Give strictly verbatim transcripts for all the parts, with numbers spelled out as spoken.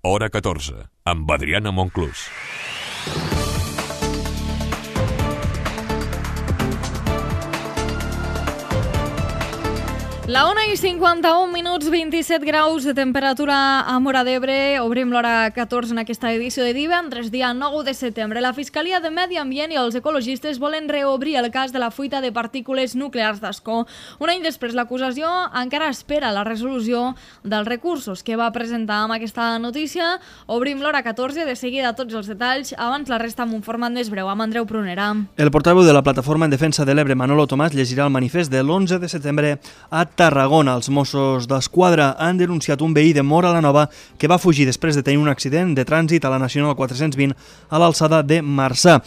Hora catorze, amb Adriana Monclús. La una i cinquanta-un minuts, vint-i-set graus de temperatura a Móra d'Ebre. Obrim l'hora catorze en aquesta edició de divendres, dia nou de setembre. La Fiscalia de Medi Ambient i els ecologistes volen reobrir el cas de la fuita de partícules nuclears d'Ascó. Un any després, l'acusació encara espera la resolució dels recursos que va presentar amb aquesta notícia. Obrim l'hora catorze, de seguida tots els detalls. Abans la resta amb un format més breu, amb Andreu Prunera. El portaveu de la Plataforma en Defensa de l'Ebre, Manolo Tomàs, llegirà el manifest de l'onze de setembre a Tarragona. Els Mossos d'Esquadra han denunciat un veí de Móra la Nova que va fugir després de tenir un accident de trànsit a la Nacional quatre-cents vint a l'alçada de Marçà.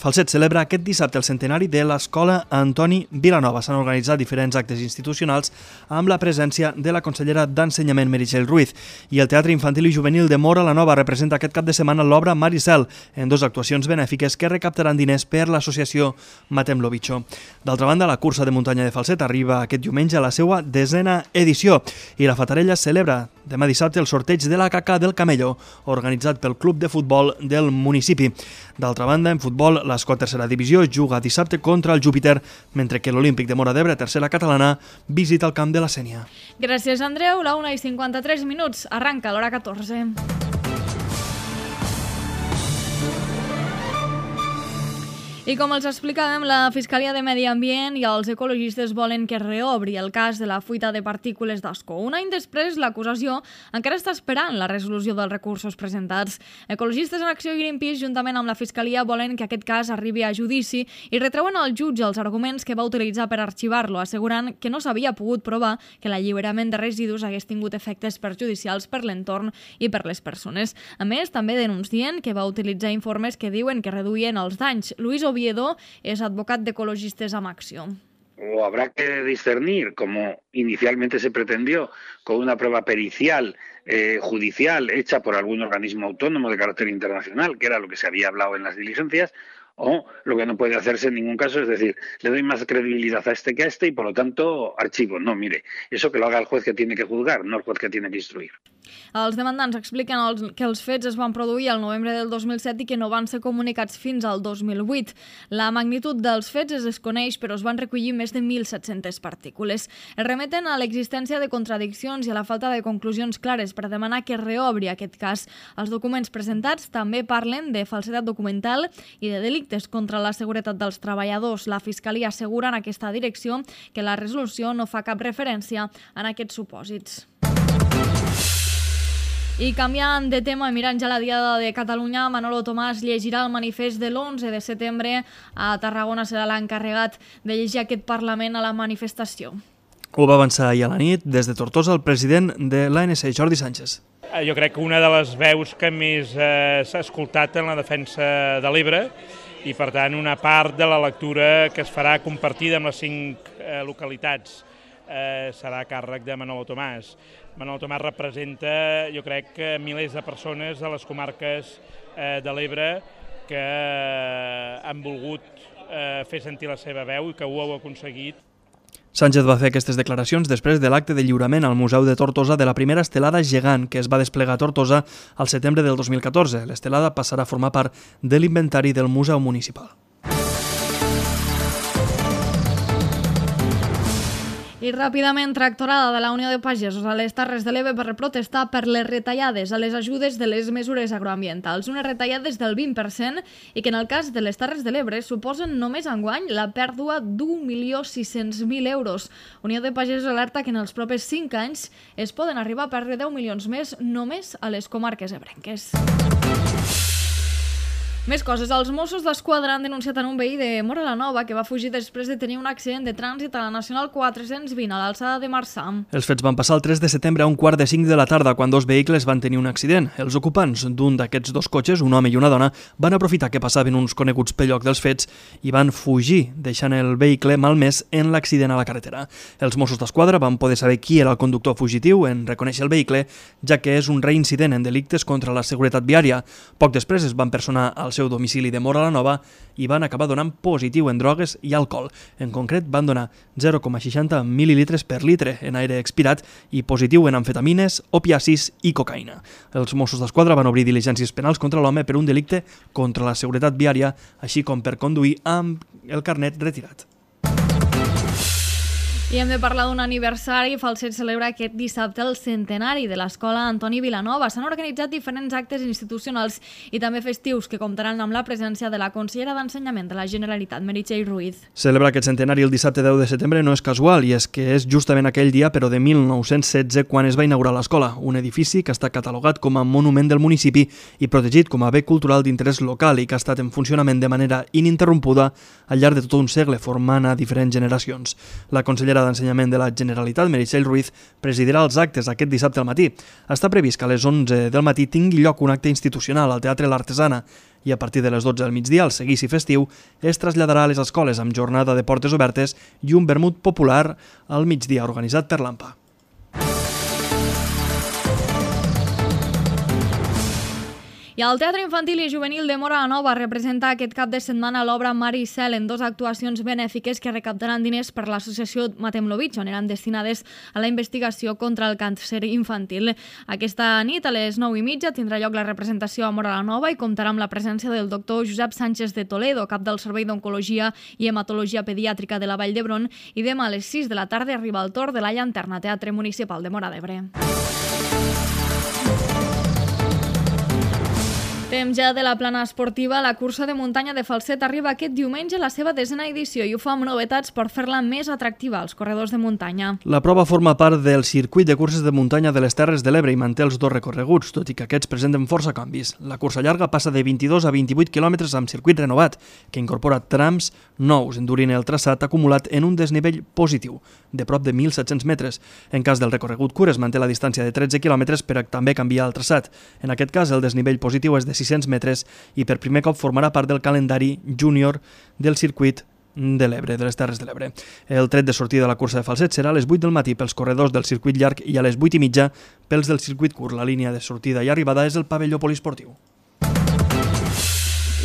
Falset celebra aquest dissabte el centenari de l'Escola Antoni Vilanova. S'han organitzat diferents actes institucionals amb la presència de la consellera d'Ensenyament, Meritxell Ruiz. I el Teatre Infantil i Juvenil de Móra la Nova representa aquest cap de setmana l'obra Maricel, en dues actuacions benèfiques que recaptaran diners per l'associació Matem lo Bicho. D'altra banda, la cursa de muntanya de Falset arriba aquest diumenge a la seva desena edició i la Fatarella celebra demà dissabte el sorteig de la caca del Camello, organitzat pel Club de Futbol del municipi. D'altra banda, en futbol, l'Escó tercera divisió juga dissabte contra el Júpiter, mentre que l'Olímpic de Móra d'Ebre, tercera catalana, visita el camp de la Sénia. Gràcies, Andreu. La una i cinquanta-tres minuts. Arranca l'hora catorze. I com els explicàvem, la Fiscalia de Medi Ambient i els ecologistes volen que reobri el cas de la fuita de partícules d'Ascó. Un any després, l'acusació encara està esperant la resolució dels recursos presentats. Ecologistes en Acció i Greenpeace, juntament amb la Fiscalia, volen que aquest cas arribi a judici i retreuen al jutge els arguments que va utilitzar per arxivar-lo, assegurant que no s'havia pogut provar que l'alliberament de residus hagués tingut efectes perjudicials per l'entorn i per les persones. A més, també denuncien que va utilitzar informes que diuen que reduïen els danys. Luis Oviedo es advocat de Ecologistes amb Acció. O habrá que discernir, como inicialmente se pretendió, con una prueba pericial, eh, judicial, hecha por algún organismo autónomo de carácter internacional, que era lo que se había hablado en las diligencias, o lo que no puede hacerse en ningún caso es decir, le doy más credibilidad a este que a este y por lo tanto archivo. No, mire, eso que lo haga el juez que tiene que juzgar, no el juez que tiene que instruir. Els demandants expliquen els, que els fets es van produir al novembre del dos mil set i que no van ser comunicats fins al dos mil vuit. La magnitud dels fets es desconeix, però es van recollir més de mil set-centes partícules. Es remeten a l'existència de contradiccions i a la falta de conclusions clares per demanar que reobri aquest cas. Els documents presentats també parlen de falsedat documental i de delictes contra la seguretat dels treballadors. La Fiscalia assegura en aquesta direcció que la resolució no fa cap referència en aquests supòsits. I canviant de tema i mirant ja la Diada de Catalunya, Manolo Tomàs llegirà el manifest de l'onze de setembre. A Tarragona serà l'encarregat de llegir aquest Parlament a la manifestació. Ho va avançar ahir a la nit des de Tortosa el president de l'A N C, Jordi Sánchez. Jo crec que una de les veus que més eh, s'ha escoltat en la defensa de l'Ebre i, per tant, una part de la lectura que es farà compartida amb les cinc eh, localitats eh, serà a càrrec de Manolo Tomàs. Manolo Tomàs representa, jo crec, que milers de persones de les comarques eh, de l'Ebre que eh, han volgut eh, fer sentir la seva veu i que ho heu aconseguit. Sánchez va fer aquestes declaracions després de l'acte de lliurament al Museu de Tortosa de la primera estelada gegant que es va desplegar a Tortosa al setembre del dos mil catorze. L'estelada passarà a formar part de l'inventari del Museu Municipal. I ràpidament, tractorada de la Unió de Pagesos a les Terres de l'Ebre per protestar per les retallades a les ajudes de les mesures agroambientals. Unes retallades del vint per cent i que en el cas de les Terres de l'Ebre suposen només enguany la pèrdua d'un milió sis-cents mil euros. Unió de Pagesos alerta que en els propers cinc anys es poden arribar a perdre deu milions més només a les comarques ebrenques. Més coses. Els Mossos d'Esquadra han denunciat en un veí de Móra la Nova que va fugir després de tenir un accident de trànsit a la Nacional quatre-cents vint a l'alçada de Marçà. Els fets van passar el tres de setembre a un quart de cinc de la tarda quan dos vehicles van tenir un accident. Els ocupants d'un d'aquests dos cotxes, un home i una dona, van aprofitar que passaven uns coneguts pel lloc dels fets i van fugir, deixant el vehicle malmès en l'accident a la carretera. Els Mossos d'Esquadra van poder saber qui era el conductor fugitiu en reconèixer el vehicle, ja que és un reincident en delictes contra la seguretat viària. Poc després es van personar al seu domicili de Móra la Nova i van acabar donant positiu en drogues i alcohol. En concret, van donar zero coma seixanta mil·lilitres per litre en aire expirat i positiu en amfetamines, opiacis i cocaïna. Els Mossos d'Esquadra van obrir diligències penals contra l'home per un delicte contra la seguretat viària, així com per conduir amb el carnet retirat. I hem de parlar d'un aniversari. Falset celebra aquest dissabte el centenari de l'Escola Antoni Vilanova. S'han organitzat diferents actes institucionals i també festius que comptaran amb la presència de la consellera d'Ensenyament de la Generalitat, Meritxell Ruiz. Celebrar aquest centenari el dissabte deu de setembre no és casual, i és que és justament aquell dia, però de mil nou-cents setze, quan es va inaugurar l'escola, un edifici que està catalogat com a monument del municipi i protegit com a bé cultural d'interès local i que ha estat en funcionament de manera ininterrompuda al llarg de tot un segle, formant a diferents generacions. La consellera d'Ensenyament de la Generalitat, Meritxell Ruiz, presidirà els actes aquest dissabte al matí. Està previst que a les onze del matí tingui lloc un acte institucional al Teatre L'Artesana i a partir de les dotze del migdia, el seguici festiu es traslladarà a les escoles amb jornada de portes obertes i un vermut popular al migdia organitzat per l'A M P A. I el Teatre Infantil i Juvenil de Móra la Nova representa aquest cap de setmana l'obra Mar i Cel en dues actuacions benèfiques que recaptaran diners per l'associació Matem-lo-Bitx, on eren destinades a la investigació contra el càncer infantil. Aquesta nit, a les nou i mitja, tindrà lloc la representació a Móra la Nova i comptarà amb la presència del doctor Josep Sánchez de Toledo, cap del Servei d'Oncologia i Hematologia Pediàtrica de la Vall d'Hebron, i demà a les sis de la tarda arriba el torn de la Llanterna, Teatre Municipal de Móra d'Ebre. Temps ja de la plana esportiva. La cursa de muntanya de Falset arriba aquest diumenge a la seva desena edició i ho fa amb novetats per fer-la més atractiva als corredors de muntanya. La prova forma part del circuit de curses de muntanya de les Terres de l'Ebre i manté els dos recorreguts, tot i que aquests presenten força canvis. La cursa llarga passa de vint-i-dos a vint-i-vuit quilòmetres amb circuit renovat, que incorpora trams nous, endurint el traçat acumulat en un desnivell positiu, de prop de mil set-cents metres. En cas del recorregut curt es manté la distància de tretze quilòmetres per també canviar el traçat. En aquest cas, el desnivell positiu és de sis-cents metres i per primer cop formarà part del calendari júnior del circuit de l'Ebre, de les Terres de l'Ebre. El tret de sortida de la cursa de Falset serà a les vuit del matí pels corredors del circuit llarg i a les vuit i mitja pels del circuit curt. La línia de sortida i arribada és el pavelló poliesportiu.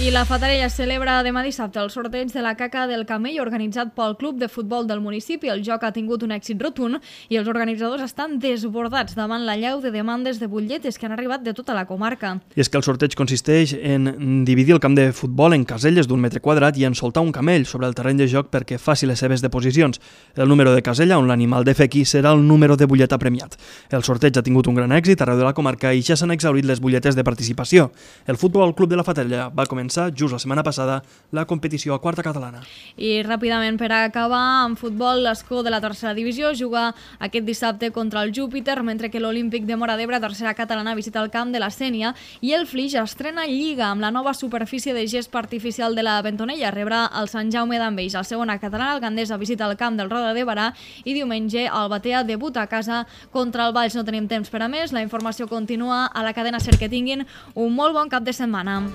I la Fatarella celebra demà dissabte el sorteig de la caca del camell organitzat pel Club de Futbol del municipi. El joc ha tingut un èxit rotund i els organitzadors estan desbordats davant la llau de demandes de butlletes que han arribat de tota la comarca. I és que el sorteig consisteix en dividir el camp de futbol en caselles d'un metre quadrat i en soltar un camell sobre el terreny de joc perquè faci les seves deposicions. El número de casella on l'animal defequi serà el número de butlleta premiat. El sorteig ha tingut un gran èxit arreu de la comarca i ja s'han exhaurit les butlletes de participació. El Futbol Club de la Fatarella va començar just la setmana passada la competició a quarta catalana. I ràpidament per acabar, en futbol, l'Escó de la tercera divisió juga aquest dissabte contra el Júpiter, mentre que l'Olímpic de Móra d'Ebre, tercera catalana, visita el camp de la Sénia i el Flix estrena Lliga amb la nova superfície de gespa artificial de la Bentonella. Rebrà el Sant Jaume d'Enveig. La segona catalana, el Gandesa, visita el camp del Roda de Barà i diumenge el Batea debuta a casa contra el Valls. No tenim temps per a més. La informació continua a la cadena SER. Que tinguin un molt bon cap de setmana.